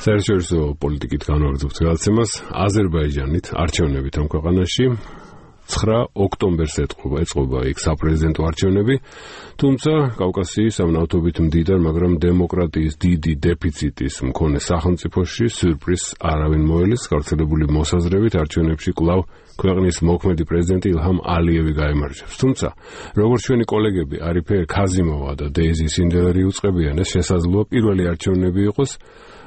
საერთაშორისო პოლიტიკით განვაგრძობთ გადაცემას აზერბაიჯანით არჩევნებით ამ ქვეყანაში 9 ოქტომბერს ეწყობა იქ საპრეზიდენტო არჩევნები, თუმცა კავკასიის ამ ნავთობით მდიდარ, მაგრამ დემოკრატიის დიდი დეფიციტის მქონე სახელმწიფოში სიურპრიზს არავინ მოელის, გავრცელებული მოსაზრებით არჩევნებში კვლავ ქვეყნის მოქმედი პრეზიდენტი ილჰამ ალიევი გაიმარჯვებს. თუმცა, როგორც ჩვენი კოლეგები არიფე ქაზიმოვა და დეიზი სინდელერი უწყებიან, ეს შესაძლოა პირველი არჩევნები იყოს,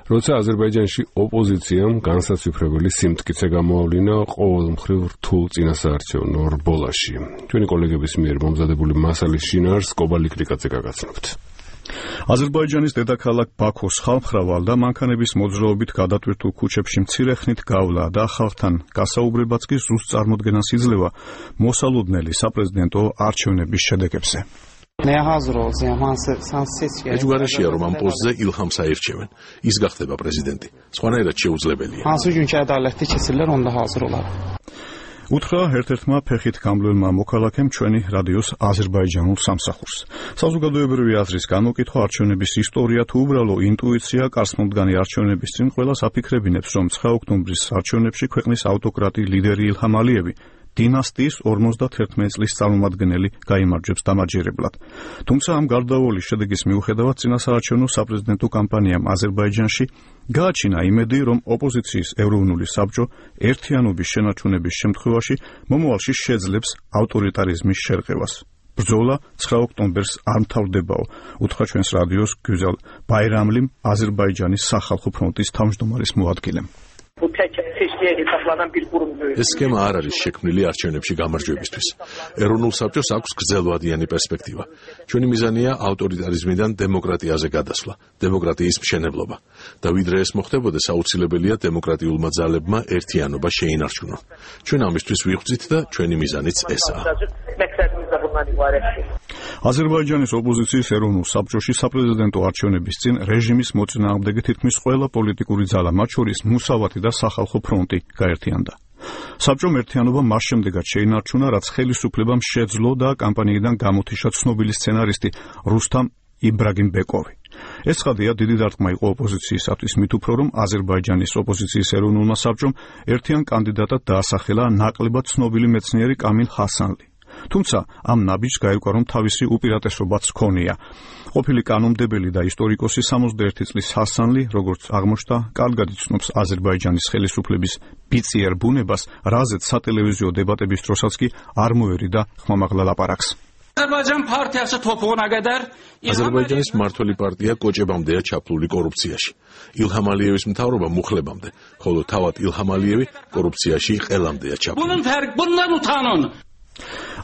როცა აზერბაიჯანში ოპოზიციამ განსაცვიფრებელი სიმტკიცე გამოავლინა ყოველმხრივ რთულ წინასაარჩევნო რბოლაში. ჩვენი კოლეგების მიერ მომზადებული მასალის შინაარსს კობალი კრიკაძე გაგაცნობთ. აზერბაიჯანის დედაქალაქ ბაქოს ხალხმრავალ და მანქანების მოძრაობით გადატვირთულ ქუჩებში მცირე ხნით გავლა და ხალხთან გასაუბრებაც კი ზუსტ წარმოდგენას იძლევა მოსალოდნელი საპრეზიდენტო არჩევნების შედეგებზე. ეჯვარაშია რომ ამ პოსტზე ილჰამს აირჩევენ. ის გახდება პრეზიდენტი. სხვანაირად შეუძლებელია. უთხრა ერთ-ერთმა ფეხით გამბლელმა მოქალაქემ ჩვენი რადიოს აზერბაიჯანულ სამსახურს. საზოგადოებრივი აზრის გამოკითხვა, არჩევნების ისტორია თუ უბრალო ინტუიცია კარსმომდგანი არჩევნების წინ ყველას აფიქრებინებს, რომ 9 ოქტომბრის არჩევნებში ქვეყნის ავტოკრატი ლიდერი ილჰამ ალიევი დინასტიის 51 წლის წარმომადგენელი გაიმარჯვებს დამაჯერებლად. თუმცა ამ გარდაუვალი შედეგის მიუხედავად წინასაარჩევნო საპრეზიდენტო კამპანიამ აზერბაიჯანში გააჩინა იმედი, რომ ოპოზიციის ეროვნული საბჭო ერთიანობის შენარჩუნების შემთხვევაში მომავალში შეძლებს ავტორიტარიზმის შერყევას. ბრძოლა 9 ოქტომბერს არ მთავრდებაო, უთხრა ჩვენს რადიოს გუზალ ბაირამლიმ, აზერბაიჯანის სახალხო ფრონტის თავმჯდომარის მოადგილემ. ეს სქემა არ არის შექმნილი არჩევნებში გამარჯვებისთვის. ეროვნულ საბჭოს აქვს გრძელვადიანი პერსპექტივა. ჩვენი მიზანია ავტორიტარიზმიდან დემოკრატიაზე გადასვლა, დემოკრატიის მშენებლობა. და ვიდრე ეს მოხდებოდეს, აუცილებელია დემოკრატიულმა ძალებმა ერთიანობა შეინარჩუნონ. ჩვენ ამისთვის ვიღვწით და ჩვენი მიზანიც ესაა. აზერბაიჯანის ოპოზიციის ეროვნულ საბჭოში საპრეზიდენტო არჩევნების წინ რეჟიმის მოწინააღმდეგე თითქმის ყველა პოლიტიკური ძალა, მათ შორის მუსავათი და სახალხო ფრონტი გაერთიანდა. საბჭომ ერთიანობა მას შემდეგაც შეინარჩუნა, რაც ხელისუფლებამ შეძლო და კამპანიიდან გამოთიშა ცნობილი სცენარისტი რუსთამ იბრაგიმბეკოვი. ეს ცხადია დიდი დარტყმა იყო ოპოზიციისათვის, მით უფრო რომ აზერბაიჯანის ოპოზიციის ეროვნულმა საბჭომ ერთიან კანდიდატად დაასახელა ნაკლებად ცნობილი მეცნიერი კამილ ჰასანლი. თუმცა ამ ნაბიჯს გაირკვა, რომ თავისი უპირატესობაც ჰქონია. ყოფილი კანონმდებელი და ისტორიკოსი 61 წლის ჰასანლი, როგორც აღმოჩნდა, კარგად იცნობს აზერბაიჯანის ხელისუფლების ბიწიერ ბუნებას, რაზეც სატელევიზიო დებატების დროსაც კი არ მოერიდა ხმამაღლა ლაპარაკს. აზერბაიჯანის მმართველი პარტია კოჭებამდეა ჩაფლული კორუფციაში. ილჰამ ალიევის მთავრობა მუხლებამდე, ხოლო თავად ილჰამ ალიევი კორუფციაში ყელამდეა ჩაფლული.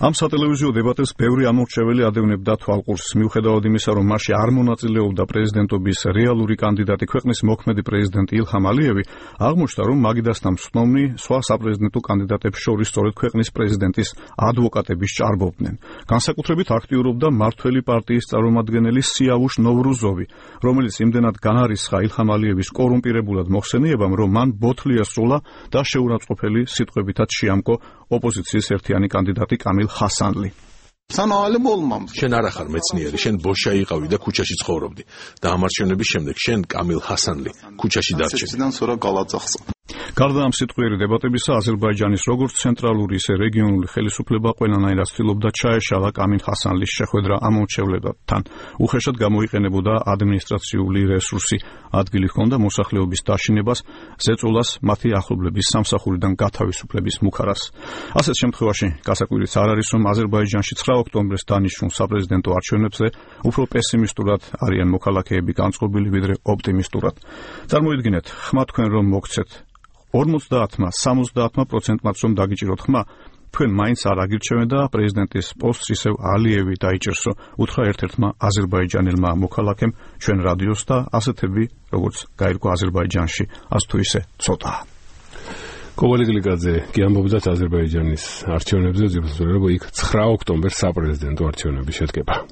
ამ სატელევიზიო დებატებს ბევრი ამორჩეველი ადევნებდა თვალყურს, მიუხედავად იმისა, რომ მასში არ მონაწილეობდა პრეზიდენტობის რეალური კანდიდატი ქვეყნის მოქმედი პრეზიდენტი ილჰამ ალიევი, აღმოჩნდა, რომ მაგიდასთან მსწვნომნი სხვა საპრეზიდენტო კანდიდატებს შორის სწორედ ქვეყნის პრეზიდენტის ადვოკატები სჭარბობდნენ. განსაკუთრებით აქტიურობდა მმართველი პარტიის წარმომადგენელი სიავუშ ნოვრუზოვი, რომელიც იმდენად განარისხა ილჰამ ალიევის კორუმპირებულად მოხსენიებამ, რომ მან ბოთლია სროლა და შეურაცხყოფელი სიტყვებითაც შეამკო ოპოზიციის ერთიანი კანდიდატი კამილ ჰასანლი. შენ არ ახარ მეცნიერი, შენ ბოშა იყავი და ქუჩაში ცხოვრობდი და ამ არჩევნების შემდეგ შენ კამილ ჰასანლი ქუჩაში დარჩენდი. გარდა ამ სიტყვიერი დებატებისა, აზერბაიჯანის როგორც ცენტრალური, ისე რეგიონული ხელისუფლება ყველანაირად ცდილობდა ჩაეშალა კამილ ჰასანლის შეხვედრა ამორჩევლებთან. უხეშად გამოიყენებოდა ადმინისტრაციული რესურსი, ადგილი ჰქონდა მოსახლეობის დაშინებას, ზეწოლას, მათი ახლობლების სამსახურიდან გათავისუფლების მუქარას. ასეთ შემთხვევაში გასაკვირიც არ არის, რომ აზერბაიჯანში 9 ოქტომბერს დანიშნულ საპრეზიდენტო არჩევნებზე უფრო პესიმისტურად არიან მოქალაქეები განწყობილი, ვიდრე ოპტიმისტურად. წარმოიდგინეთ, ხმა თქვენ რომ მოგცეთ 50-60%-მაც რომ დაგიჭიროთ ხმა, თქვენ მაინც არ აგირჩევენ და პრეზიდენტის პოსტს ისევ ალიევი დაიჭერსო, უთხრა ერთ-ერთმა აზერბაიჯანელმა მოქალაქემ ჩვენ რადიოს და ასეთები, როგორც გაირკვა აზერბაიჯანში, ას თუ ისე ცოტაა. კობალი კრიკაძე კი ამბობდათ აზერბაიჯანის არჩევნებზე, ზოგადად იქ 9 ოქტომბერს საპრეზიდენტო არჩევნები შედგება.